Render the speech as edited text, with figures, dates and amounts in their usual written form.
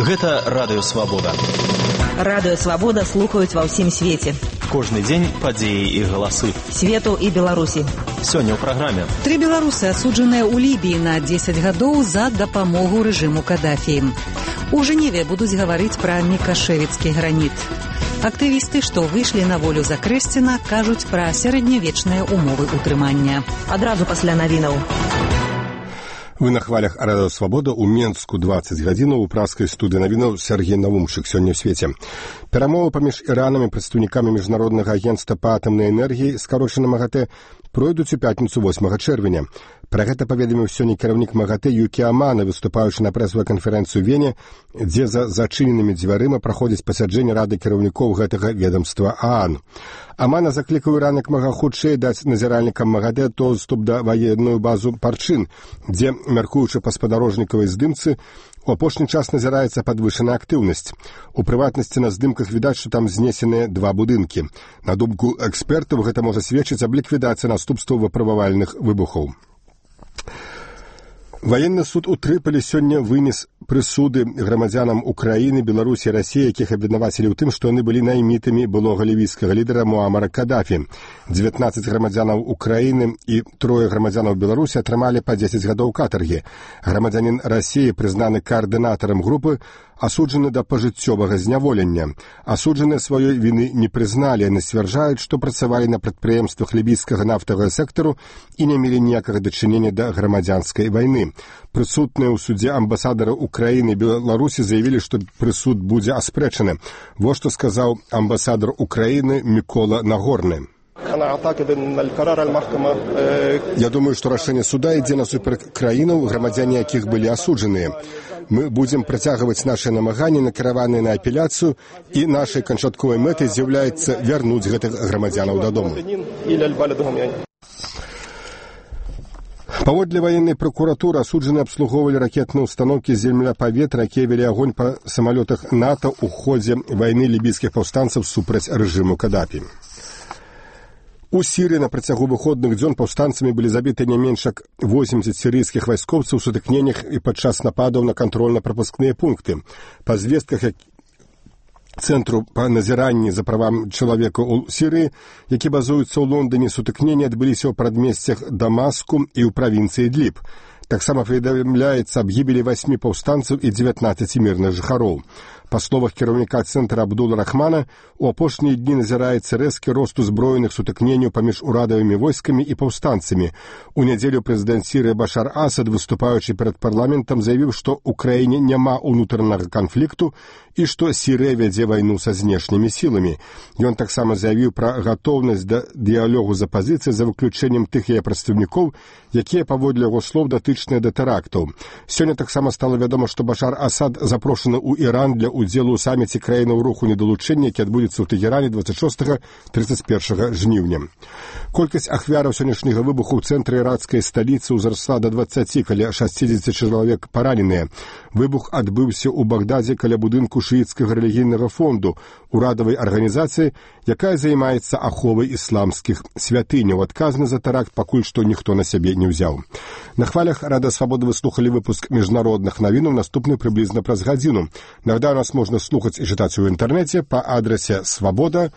Гэта Радыё Свабода. Радыё Свабода слухаюць ва ўсім свеце. Кожны дзень падзеі і галасы. Свету і Беларусі. Сёння ў праграме. 3 беларусы асуджаныя ў Лібіі на 10 гадоў за дапамогу рэжыму Кадафі. У Жэневе будуць гаварыць пра мікашэвіцкі граніт. Актывісты, што выйшлі на волю за Крэсціна, кажуць пра сярэднявечныя умовы ўтрымання. Адразу пасля навінаў. Вы на хвалях Радыё Свабода ў Менску 20 гадзінаў у праскай студыі навінаў Сергей Навумчык сёння ў свеце. Перамовы паміж Іранам і прадстаўнікамі міжнароднага агенцтва па атамнай энергіі, скарочана МАГАТЭ, пройдуць у пятніцу 8 чэрвеня. Пра гэта паведаміў сёння кіраўнік МАГАТЭ Юкі Амана, выступаючы на прэсавай канферэнцыю ў Вене, дзе за зачыненымі дзвярыма праходзіць пасяджэнне рады кіраўнікоў гэтага ведомства ААН. Амана заклікаў Іран як мага хутчэй даць назіральнікам МАГАТЭ доступ да ваенную базу Парчин, дзе, мяркуючы па спадарожнікавай здымцы, у апошні час назіраецца падвышаная актыўнасць. У прыватнасці на здымках відаць, што там знесеныя 2 будынкі. На думку экспертаў, гэта можа сведчыць аб ліквідацыі наступстваў выпрабавальных выбухаў. Ваенны суд у Трыполі сёння вынес прысуды грамадзянам Украіны, Беларусі і Расіі, якіх абвінавацілі ў тым, што яны былі наймітамі былога лівійскага лідара Муамара Кадафі. 19 грамадзянаў Украіны і 3 грамадзянаў Беларусі атрымалі па 10 гадоў катаргі. Грамадзянін Расіі, прызнаны каардынатарам групы, асуджаны да пажыццёвага зняволення. Асуджаныя сваёй віны не прызналі, яны сцвярджаюць, што працавалі на прадпрыемствах лібійскага нафтавага сектару і не мелі ніякага дачынення да грамадзянскай вайны. Прысутныя ў судзе амбасадары Украіны і Беларусі заявілі, што прысуд будзе аспрэчаны. Вось што сказаў амбасадар Украіны Мікола Нагорны. Я думаю, што рашэнне суда ідзе насуперак краінаў, грамадзяне якіх былі асуджаныя. Мы будзем працягваць нашы намаганні, накіраваныя на апеляцыю, і нашай канчатковай мэтай з'яўляецца вярнуць гэтых грамадзянаў дадому. Паводле ваеннай пракуратуры асуджаныя абслугоўвалі ракетныя ўстаноўкі з земля-паветра, якія вялі агонь па самалётах НАТО ў ходзе вайны лібійскіх паўстанцаў супраць рэжыму Кадафі. У Сірыі на працягу выходных дзён паўстанцамі былі забіты не менш як 80 сірыйскіх вайскоўцаў у сутыкненнях і падчас нападаў на кантрольна-прапускныя пункты. Па звестках Цэнтру па назіранні за правам чалавека ў Сірыі, які базуецца ў Лондоне, сутыкненні адбыліся ў прадмесцях Дамаску і ў правінцыі Ідліб. Таксама паведамляецца аб гібелі 8 паўстанцаў і 19 мірных жыхароў. Па словах кіраўніка цэнтра Абдула Рахмана, у апошнія дні назіраецца рэзкі рост узброеных сутыкненняў паміж урадавымі войскамі і паўстанцамі. У нядзелю прэзідэнт Сірыі Башар Асад, выступаючы перад парламентам, заявіў, што ў краіне няма ўнутранага канфлікту і што Сірыя вядзе вайну са знешнімі сіламі. Ён таксама заявіў пра гатоўнасць да дыялогу з апазіцыяй за выключэннем тых яе прадстаўнікоў, якія, паводле яго слоў, датычныя да тэрактаў. Сёння таксама стала вядома, што Башар Асад запрошаны ў Іран для удзелу ў саміце краінаў руху недалучэння, які адбудзецца ў Тэгеране 26-31 жніўня. Колькасць ахвяраў сённяшняга выбуху ў цэнтры іракскай сталіцы ўзрасла да 20, каля 60 чалавек параненыя. Выбух адбыўся ў Багдадзе каля будынку шыіцкага рэлігійнага фонду, урадавай арганізацыі, якая займаецца аховай ісламскіх святыняў. Адказны за тэракт пакуль што ніхто на сябе не ўзяў. На хвалях Радыё Свабода вы слухалі выпуск міжнародных навінаў, наступны прыблізна праз гадзіну. Нагадаю, нас можна слухаць і чытаць у інтэрнэце па адрасе swaboda.org.